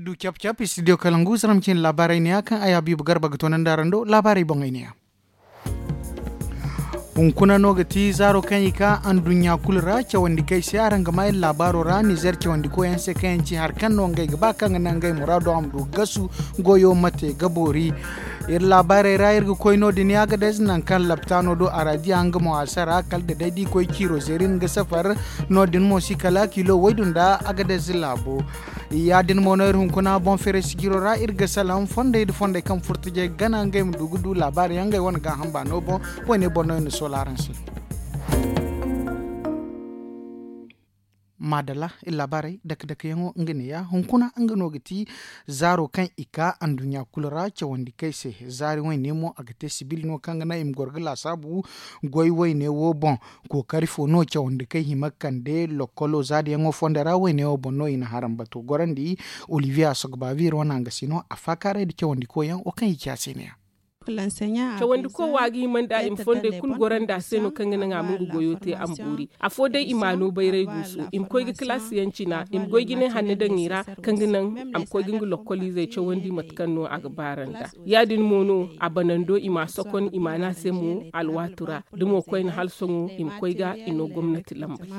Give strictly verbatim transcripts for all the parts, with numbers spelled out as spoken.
Du cap-cap studio kalangu zaram cine laabaarey neeya kaŋ ay habiibu garba ga toonandi araŋ do laabaarey boŋey neeya. Hunkuna no ga ti zaaro kaŋ i ka anduɲɲa kulu ra cawandi kaŋ ay se araŋ ga maa iri laabaaro ra nizer cawandi koyaŋ se kaŋ yaŋ ci hari kaŋ no ngey ga ba kaŋ ga naŋ ngey muraado a ma du ga gasu. Goyo mate ga boori. Iri laabaarey ra iri ga koy no- din agadez nangu kaŋ laptaano do araadiya nga mo a sara kala da day da i koy ciiro zeeri nga safar. No- din mo si kala kilo waydu nda agadez laabo. Ya- din mo no iri hunkuna boŋ feeray sijiro ra iri ga salaŋ fondey nda fondey kaŋ furtajey gana ngey ma du ga du laabaari yaŋ ngey wane gaaham baano boŋ. Woyne boŋ no iri na soola araŋ se. Maadala iri laabaarey dake dake yaŋo nga neeya hunkuna nga no ga ti zaaro kaŋ i ka anduɲɲa kulu ra cawandi kaŋ ay se. Zaari woyne mo a ga te sibil no kaŋ ga naŋ i ma goro ga laasaabu goy woyne wo boŋ. Kookari fo no cawandi kaŋ hima ga kande lokkolo zaadiyaŋo fondo ra woyne wo boŋ no i na harambato gorandi. Olivier asogbavi iri wane a nga si no a faakaaray nda cawandi koyaŋ wo kaŋ i ci a se neeya. Cawandi ko wa ga hima nda i ma fondey kulu gorandi a se no kaŋ ga naŋ a ma nga goyo te a ma boori. Afo day i ma a no bayray guusu i ma koy ga kalaasi yaŋ cina i ma goy jinay hanno daŋ i ra kaŋ ga naŋ a ma koy ga nga lokkoliizey cawandi mate kaŋ no a ga baara nda. Ya- din mo no a banando i ma a sokon i ma a ne a se mo alwaatu ra. Da mo koyne hala sohõ i ma koy ga i no gomnati lambey.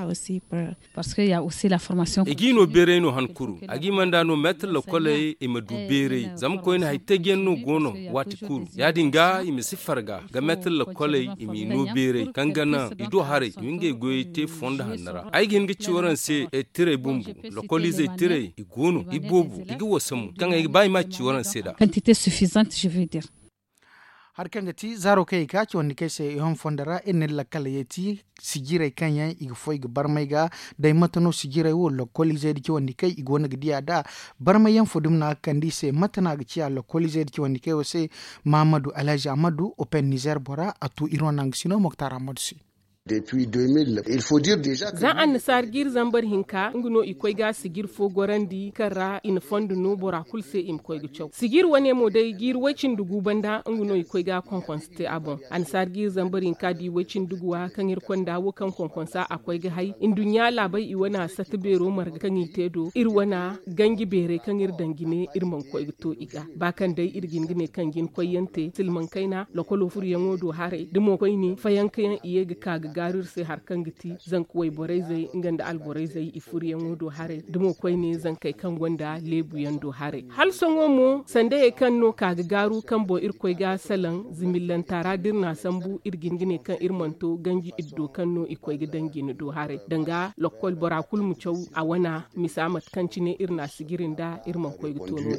I g'i no beeray no han kuru a g'i manda no meetar lakoley i ma du beeray zama koyne hari taji yaŋ no go no. Waati kulu ya- din ga i ma si farga ga meetar lakoley i m'i no beeray kaŋ ga naŋ i do haray i ma ngey goyey te fondo hanno ra ay ga hin ga ci waraŋ se. Tirey bumbo lokoliizey tirey i go no i boobo i ga wasa mo kaŋ ay ga ba i ma ci waraŋ se nd'a. Hari kaŋ ga ti zaaro kaŋ i ka cawandi kaŋ ay se i hõ fondo ra iri na iri lakkal yeeti. Sijirey kaŋ yaŋ i ga foy ga barmay ga day mate no sijirey wo lokkoliizey nda cawandi kaŋ i go no ga diya nd'a. Barmay yaŋ fo dumi no a ga kande i se mate no a ga ciya lokkoliizey nda cawandi kaŋ ay wo se. Mahamadu alhazi ahamadu open nizer bora a tu iri wane nangu sino moktar ahamadu se. Za annasaara jiiri zambar hinka nga no i koy ga sijir fo gorandi kaŋ ra i na fondo no bora kulu se i ma koy ga caw sijir wane mo day jiiri way-cindi gu banda nga no i koy ga konkonse te a boŋ. Annasaara jiiri zambar hinka da i way-cindi guwa kaŋ iri konda wo kaŋ konkonsa a koy ga hay nduɲɲa laabey i wane a sata beero marga kaŋ i te do iri wane ganji beerey kaŋ iri daŋ jine iri mana koy ga to i ga ba kaŋ day iri ga hin ga ne kaŋ jina koyyaŋ te silmaŋ kayna lokolo furuyaŋo do haray da mo koyne fayankayaŋ i ye ga ka ga gaaru iri se hari kaŋ ga ti zanka wayborayzey nga nda alborayzey i furuyaŋo do haray da mo koyne zankey kaŋ gonda leebuyaŋ do haray hala sohõ mo sandayey kaŋ no ka ga gaaru kaŋ boŋ iri koy ga salaŋ zimillanta ra da iri n'a sambu iri ga hin ga ne kaŋ iri mana to ganji iddo kaŋ no i koy ga daŋ jine do haray danga lokkol bora kulu ma caw a wana misa mate kaŋ cine iri n'a sijiri nda iri mana koy ga to no din.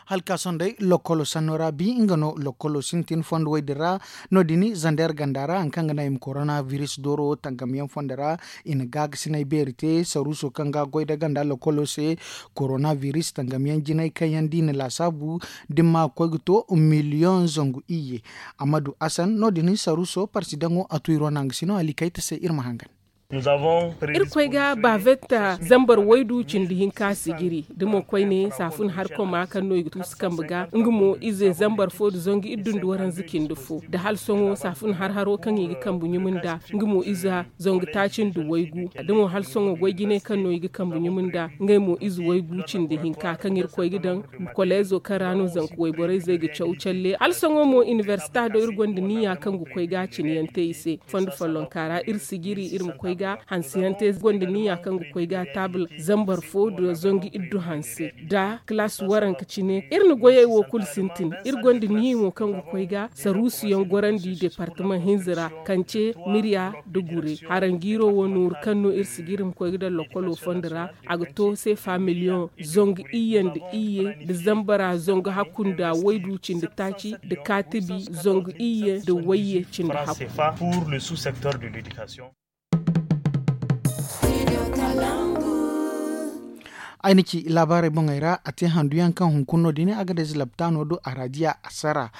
Hala ka sohõ day lokkolo sanno ra bi nga no lokkolo sintin fondo way din ra. No- din zander ganda ra hari kaŋ ga naŋ i ma korona biris dooro tangamyaŋ fondo ra i na gaagasinay beeri te saruuso kaŋ ga goy nda ganda lokkolo se. Korona biris tangamyaŋ jinay kaŋ yaŋ da i na laasaabu da ni ma ga koy ga to miliyoŋ zangu iyye. Ammadu asan no- din saruuso parsidaŋo a tu iri wane a ga si no hala i kayta se iri ma hangan. Iri koy ga bavetta zambar waydu cindi hinka sijiri da mo koyne saafun harkoma kaŋ no i ga tuusu kambe ga nga mo ize zambar fo nda zangu iddu nda waranza cindi fo da hala sohõ saafun harharo kaŋ i ga kambe ɲumu nd'a nga mo ize zangu taaci nda waygu da mo hala sohõ goy jinay kaŋ no i ga kambe ɲumu nd'a ngey mo ize waygu cindi hinka kaŋ iri koy ga daŋ koleezo kaŋ ra no zanka wayborayzey ga caw calle hala sohõ mo inibersita do iri gonda niya kaŋ ga koy ga cine yaŋ te i se. Fondo follonka ra iri sijiri iri ma koy ga hanse yaŋ te gonda niya kaŋ ga koy ga taabul zambar fo nda zangu iddu hanse nda kalaasi waranka cine iri na goyey wo kulu sintin iri gonda niya mo kaŋ ga koy ga saruusu yaŋ gorandi departamaŋ hinza ra kance mirya nda gure haranjiiro wo nooru kaŋ no iri sijiri ma koy ga daŋ lokkolo fondo ra. A ga to seefa miliyoŋ zangu iyye nda iyye nda zambara zangu hakku nda waydu cindi taaci nda kaatibi zangu iyye nda wayye cindi hakku. Ay na ci laabaarey boŋey ra a te handu yaŋ kaŋ hunkuna no- din agadez laptaano do araadiya a sara.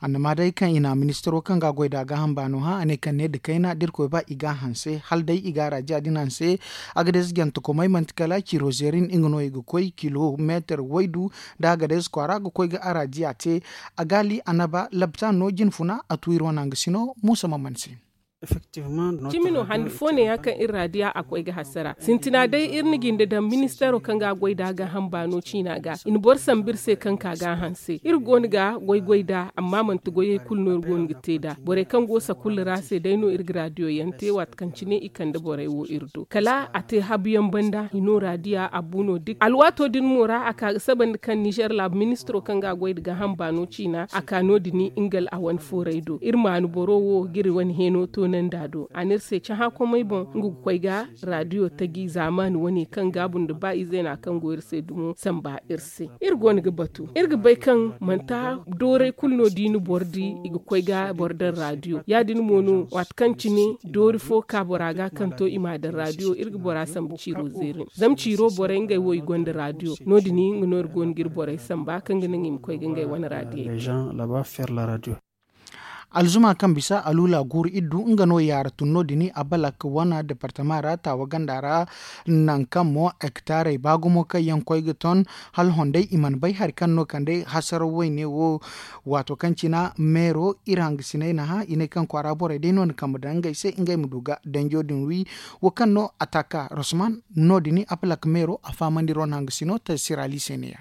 Annama day kaŋ i na ministaro kaŋ ga a goy nd'a gaaham baano hã a ne kaŋ ne nda kayna da irkoy ba i ga a hanse hala day i ga araadiya din hanse. Agadez jantakomey manti kala ciiro zeerin nga no i ga koy kilomeetar waydu nda agadez kwaara ga koy ga araadiya te. A gaali annaba laptaano jinfuna a tu iri wane a nga si no muusa maman se. Cimi no handi fo ne ya kaŋ iri raadiya a koy ga hasara sintina day iri na jinde daŋ ministeero kaŋ ga a goy nd'a gaaham baano ciina ga i na boro sambu iri se kaŋ ka ga a hanse iri go no ga goy goy nd'a amma manti goyey kulu no iri go no ga te nd'a borey kaŋ go sakulla ra se day no iri ga raadiyo yaŋ te waati kaŋ cine i kande borey wo iri do kala a te habu yaŋ banda i no raadiya a bu no duk alwaato din mo ra a ka ga sabandi kaŋ nizer laabu ministiro kaŋ ga a goy nda gaaham baano ciina a ka no- din nga a wane fooray do iri maanu boro wo ga iri wane heeno toonandi a do a na iri se cahã komey boŋ nga ga koy ga raadiyo taji zaamaani wane kaŋ gaabu nda ba ize no a kaŋ go iri se dumo samba iri se iri go no ga batu iri ga bay kaŋ manti dooray kulu no da i na boro di i ga koy ga boro daŋ raadiyo ya- din mo no waati kaŋ cine doori fo ka bora ga kaŋ to i m'a daŋ raadiyo iri ga bora sambu ciiro zeeri zama ciiro borey ngey wo i gonda raadiyo no- din nga no iri go no ga iri borey samba kaŋ ga naŋ i ma koy ga ngey wane raadiyey te. Alzuma kaŋ bisa aluula guuru iddu nga no yaara tun no- din a balak wana departama ra taawa ganda ra. Nangu kaŋ mo hektaarey ba gumo kaŋ yaŋ koy ga ton hala honday i mana bay hari kaŋ no kande hasaraw wayne wo. Waato kaŋ cina meero iri hangasiney na hã i ne kaŋ kwaara borey day no na kambe daŋ ngey se ngey ma du ga danjo din wi. Wo kaŋ no ataka rosman no- din a balak meero a fahamandi ro na hangasino te sirali se ne ya.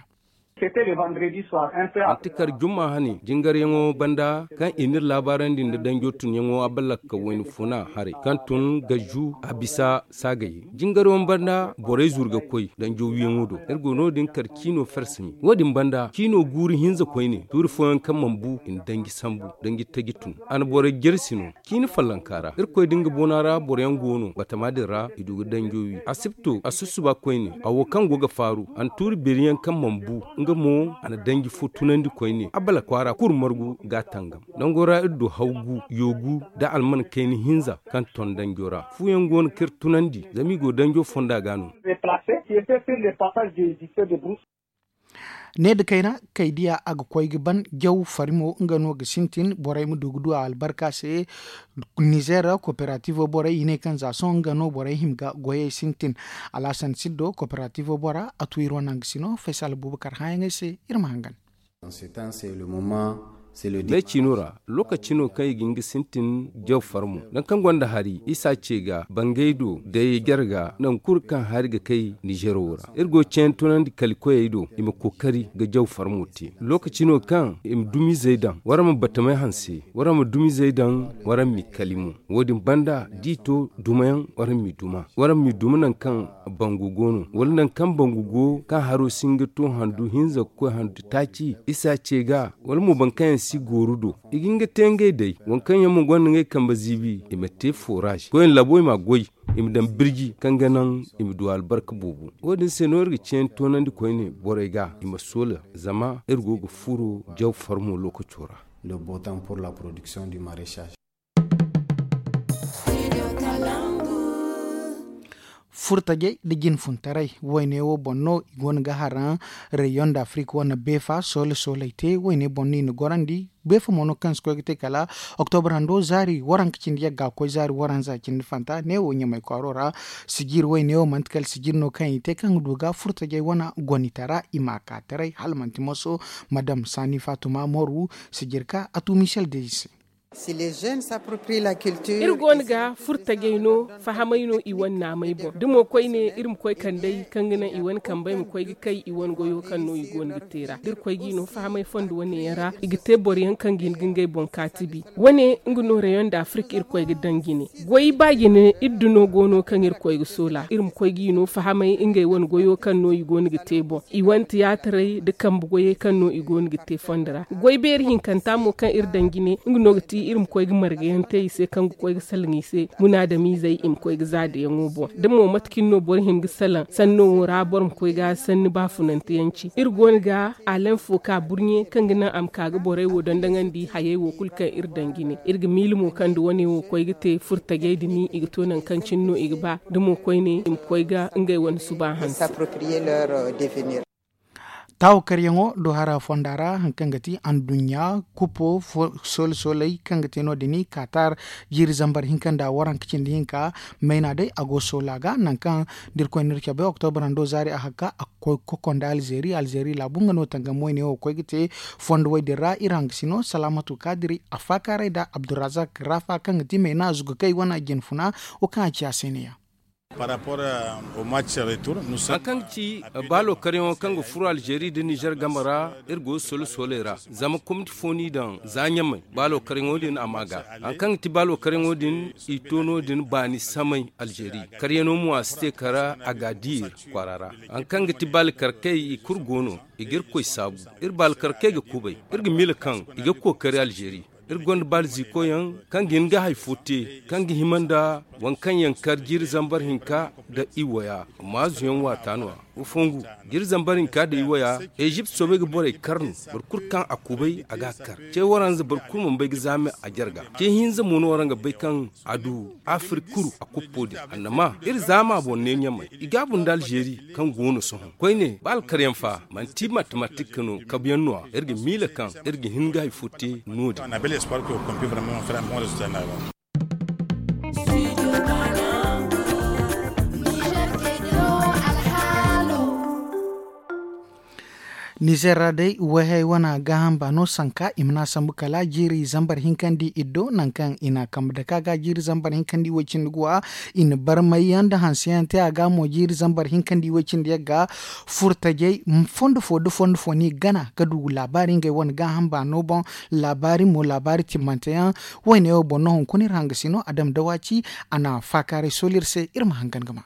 Manti kar jumma hane jingaryaŋo banda kaŋ i n'iri laabaarandi nda danjo tunyaŋo a balakka wayna funa haray kaŋ tun gaju a bisa saagayey jingaryaŋo banda borey zuru ga koy danjo wiyaŋo do iri go no- din kar ciino fersami wo- din banda ciino guuru hinza koyne tuuri fooyaŋ kaŋ mana bu i na danji sambu danji taji tun a na borey jersi no ciini follonka ra irkoy da nga boona ra boroyaŋ go no batama din ra i du ga danjo wi a si to a sussuba koyne a wo kaŋ go ga faaru a na tuuri beeri yaŋ kaŋ mana bu nga mo a na danji fo tunandi koyne a bala kwaara kulu margu ga a tangam nango ra iri du haw gu yoogu nda alman kayna hinza kaŋ ton danjo ra fu yaŋ go no kaŋ iri tunandi zama i go danjo fonda ga no. Ne nda kayna kay diya a ga koy ga ban jaw farimo nga no ga sintin borey ma du ga du a albarka se. Nizer koperativo borey i ne kaŋ za sohõ nga no borey hima ga goyey sintin. Alhasan siddo koperativo bora a tu iri wane hangasino faysal bubakar hãyaŋey se. Iri ma hangan. Me ciino ra lookaci no kaŋ i ga hin ga sintin jaw farmo nangu kaŋ gonda hari isa ce ga bangay do day jarga nangu kulu kaŋ hari ga kay nizer wo ra iri go ceeyaŋ tunandi kali koyey do i ma kookari ga jaw farmo te lookaci no kaŋ i ma dumizey daŋ waraŋ ma batamay hanse waraŋ ma dumizey daŋ waraŋ m'i kali mo. Wo- din banda da i to dumayaŋ waraŋ m'i duma waraŋ m'i duma nangu kaŋ bangu go no wala nangu kaŋ bangu go kaŋ haro si hin ga to handu hinza ga koy handu taaci isa ce ga wala mo boro kaŋ yaŋ si gooru do i ga hin ga te ngey day waŋ kaŋ yaŋ mo gonda ngey kambe ziibi i ma te foraaz koyne labo i m'a goy i ma daŋ birji kaŋ ga naŋ i ma du albarka boobo. Wo- din se no iri ga ceeyaŋ toonandi koyne borey ga i ma soola zama iri go ga furo jaw farmo lookaco ra. Furtajey nda jinfuntaray wayne wo boŋ no i go no ga haraŋ reyon da afrik wane beefa soole sooley te wayne boŋ no i na gorandi. Beefa mo no kaŋ si koy ga te kala oktobar hando zaari waranka cindi yagga koy zaari waranza cindi fanta neewo ɲamay kwaaro ra. Sijir wayne wo manti kala sijir no kaŋ i te kaŋ ga du ga furtajey wane gonitara i ma ka taray hala manti moso. Madam sani fatuma moru sijir ka a tu michel de i se. Iri go no ga furtajey no fahamay no i wane naamey boŋ da mo koyne iri ma koy kand'ey kaŋ ga naŋ i wane kambey ma koy ga kay i wane goyo kaŋ no i go no ga te ra da iri koy ga i no fahamay fondo wane yaŋ ra i ga te boro yaŋ kaŋ ga hin ga ngey boŋ kaatibi. Wane nga no reyon da afirka iri koy ga daŋ jine. Goy ba jine iri duno go no kaŋ iri koy ga soola iri ma koy ga i no fahamay ngey wane goyo kaŋ no i go no ga te boŋ i wane tiyaataray nda kambe goyey kaŋ no i go no ga te fondo ra. Goy beeri hinkanta mo kaŋ iri daŋ jine nga no ga ti iri ma koy ga marga yaŋ te i se kaŋ ga koy ga salaŋ i se munaadamiizey i ma koy ga za da yaŋo boŋ da mo mate cine no boro hima ga salaŋ sanno wo ra boro ma koy ga sanni baafunante yaŋ ci iri go no ga alenfo ka burɲe kaŋ ga naŋ a ma ka ga borey wo dondoŋandi hayey wo kulu kaŋ iri daŋ jine iri ga miila mo kaŋ nda wane wo koy ga te furtajey din i ga to nangu kaŋ cine no i ga ba da mo koyne i ma koy ga ngey wane suba hanse. Taawo karyaŋo do hara fonda ra hari kaŋ ga ti anduɲɲa kupo, soole sooley kaŋ ga te no- din katar jiiri zambar hinka nda waranka cindi hinka. Mayna day a go soola ga nangu kaŋ da irkoy n'iri cabe oktobra hando zaari a hakka a ga koy ga kokonda alzeeri alzeeri laabu nga no tangam wayne wo ga koy ga te. Fondo way din ra iri hangasino salaamatu kaadiri a faakaaray nda abdurrazak raafa kaŋ ga ti mayna zugakey wane jinfuna wo kaŋ a ci a se ne- ya. Hari kaŋ ga ci baalo karyaŋo kaŋ ga furo alzeeri nda nizer game ra, iri go ga soole sooley ra zama komiti fo no i daŋ za ɲamay baalo karyaŋo din a ma ga. Hari kaŋ ga ti baalo karyaŋo din i to no- din baani samay alzeeri. Karyaŋo mo a si te kar a ga a di iri kwaara ra. Hari kaŋ ga ti baalo karkey i kulu go no. I ga irkoy saabu. Iri baalo karkey ga kubay. Iri ga miila kaŋ i ga kookari alzeeri. Iri gonda baali ziikoyaŋ kaŋ ga hin ga hari fo te kaŋ ga hima nda waŋ kaŋ yaŋ kar jiiri zambar hinka nda iwaya. Maazu yaŋ waata no- ya. Wa fongu jiiri zambar hinka nda iwaya. Ezipt soobay ga borey kar no. Boro kulu kaŋ a kubay a ga a kar. Ce waranza boro kulu mana bay ga zaame a jarga. Ce hinza mo no waraŋ ga bay kaŋ a du afirka kuru a kuppo din. Annama iri zaama boŋ ne ɲamay i gaabu nda alzeeri kaŋ go no sohõ koyne ba alkaryaŋ fa manti matematik no kabuyaŋ no- ya. Iri ga miila kaŋ iri ga hin ga hari fo te no- din. Nizer ra day wayhay wane gaaham baano sanka i mana sambu kala jiiri zambar hinkandi iddo nangu kaŋ i na kambe dake a ga jiiri zambar hinkandi way-cindi guwa. I na barmay yaŋ nda hanse yaŋ te a ga mo jiiri zambar hinkandi way-cindi yaŋ ga. Furtajey fondo fo da fondo fo no i gana ga du laabaari ngey wane gaaham baano boŋ. Laabaari mo laabaari timmante yaŋ. Wayne wo boŋ no hunkuna iri hangasino a dama dawaci a na faakaaray sooli iri se iri ma hangan ga ma.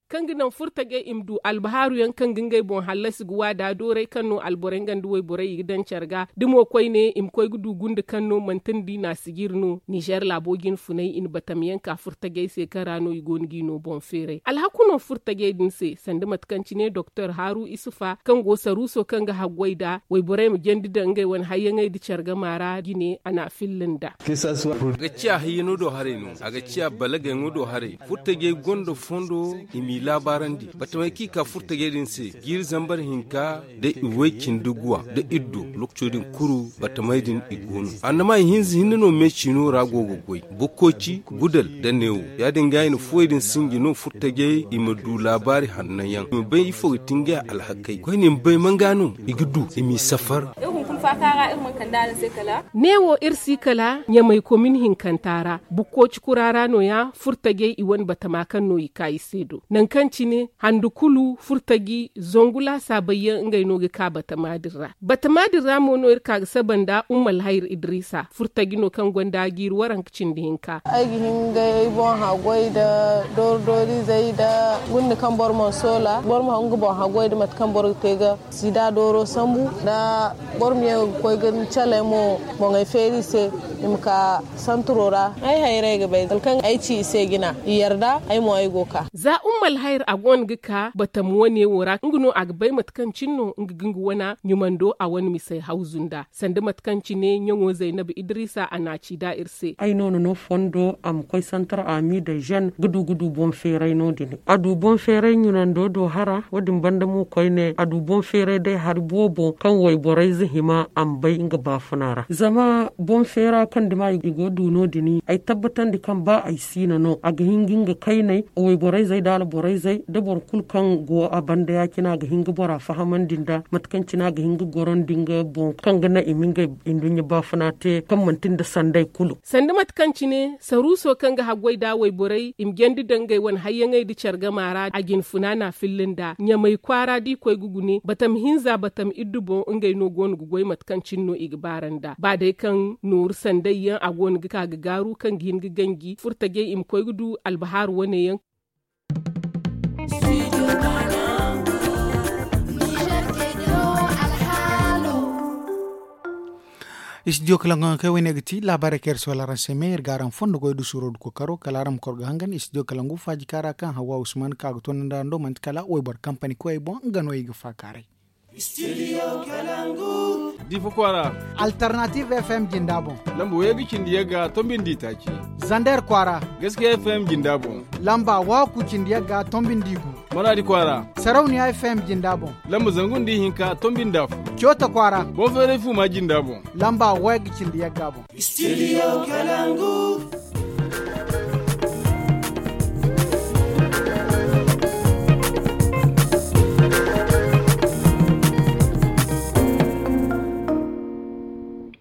Kaŋ ga naŋ furtajey i ma du albahaaru yaŋ kaŋ ga ngey boŋ hallasi ga waada dooray kaŋ no alborey nga nda wayborey i ga daŋ care ga da mo koyne i ma koy ga du gunda kaŋ no manti nda i na a sijiri no ninzeer laabo jinfunay i na batam yaŋ ka furtajey se kaŋ ra no i go no ga i no boŋ feeray alhaku no furtajey din se sanda mate kaŋ cine doktor haaru isufa kaŋ go saruuso kaŋ ga haggoy nd'a wayborey ma jandi daŋ ngey wane hayyaŋey nda care gama ra jine a na a filla nd'a. A ga ciya hayyano do haray no a ga ciya balagayaŋo do haray. Furtajey gonda fondo i m'i laabaarandi batamey kaŋ i ka furtajey din se jiiri zambar hinka da i way-cindi guwa da iddo. Lookaco din kulu batamey din i go no annama i hinza hinne no me ciino ra go ga goy bukkoci gudal da neewo. Ya-din ga i na fuwey din sinji no furtajey i ma du laabaari hanno yaŋ i ma bay ifo ga ti ngey alhakey koyne i ma bay man ga no i ga du i m'i safar. Neewo iri si kala ɲamay komin hinkanta ra bukkoci kura ra no- ya furtajey i wane batama kaŋ no i ka i se do nangu kaŋ cine handu kulu furtaji zangu laasaabey yaŋ ngey no ga ka batama din ra batama din ra mo no iri ka ga saba nda umma alhayir idrisa furtaji no kaŋ gonda jiiri waranka cindi hinka. Ay ga hin ga ay boŋ haggoy nda doori doori izey nda gunda kaŋ boro mana soola boro ma nga boŋ haggoy nda mate kaŋ boro ga te ga sida dooro sambu nda boro ma ye ga koy ga ni caley mo boŋey feeri i se i ma ka santuro ra. Ay hayray ga bay kala kaŋ ay ci i se jina i yarda ay mo ay go ga ka. Za umma alhayir a go no ga ka batam wane wo ra nga no a ga bay mate kaŋ cine no nga ga nga wana ɲumando a wane misey hawzu nd'a sanda mate kaŋ cine ɲaŋo zaynab idrisa a na a ci nd'a iri se. Ay no na no fondo a ma koy santar ami da zen ga du ga du boŋ feeray no- din a du boŋ feeray ɲunando do hara wo- din banda mo koyne a du boŋ feeray day hari boobo kaŋ wayborey ze hima a ma bay nga baafuna ra zama boŋ feera kaŋ dima i go du no- din ay tabbatandi kaŋ ba ay siina no a ga hin ga nga kayney wayborey zey da alborey zey da boro kulu kaŋ go a banda ya- cine a ga hin ga bora fahamandi nda mate kaŋ cine a ga hin ga gorandi nga boŋ kaŋ ga naŋ i ma ngey nduɲɲa baafuna te kaŋ manti nda sanday kulu. Sanda mate kaŋ cine saruuso kaŋ ga haggoy nda wayborey i ma jandi daŋ ngey wane hayyaŋey nda care gama ra a jinfuna na a filla nda ɲamay kwaara da i koy ga gune batam hinza batam iddu boŋ ngey no go no ga goy mate kaŋ cine no i ga baara nda ba day kaŋ nooru sanday yaŋ a go no ga ka ga gaaru kaŋ ga hin ga ganji furtajey i ma koy ga du albahaaru wane yaŋ. Istidiyo kalangu yaŋ kay wayne ga ti laabaarey kaŋ iri si wala araŋ se me iri ga araŋ fondo goy du suuro du kookaro kala araŋ ma kor ga hangan istidiyo kalangu faaji kaara kaŋ hawa usman ka ga toonandi araŋ do manti kala wayboro kampani koyey boŋ nga no i ga faakaaray. Difa kwaara. Alternative fm jinda boŋ. Lamba waygu cindi yagga tombindi taaci. Zander kwaara. Gaskiya fm jinda boŋ. Lamba waaku cindi yagga tombindi gu. Maradi kwaara. Sarauniya F M jinda boŋ. Lamba zangu nda ihinka tombi nda afo. Coota kwaara. Boŋ feeray fuuma jinda boŋ. Lamba way ga cindi yagga boŋ. Studio Kalangu.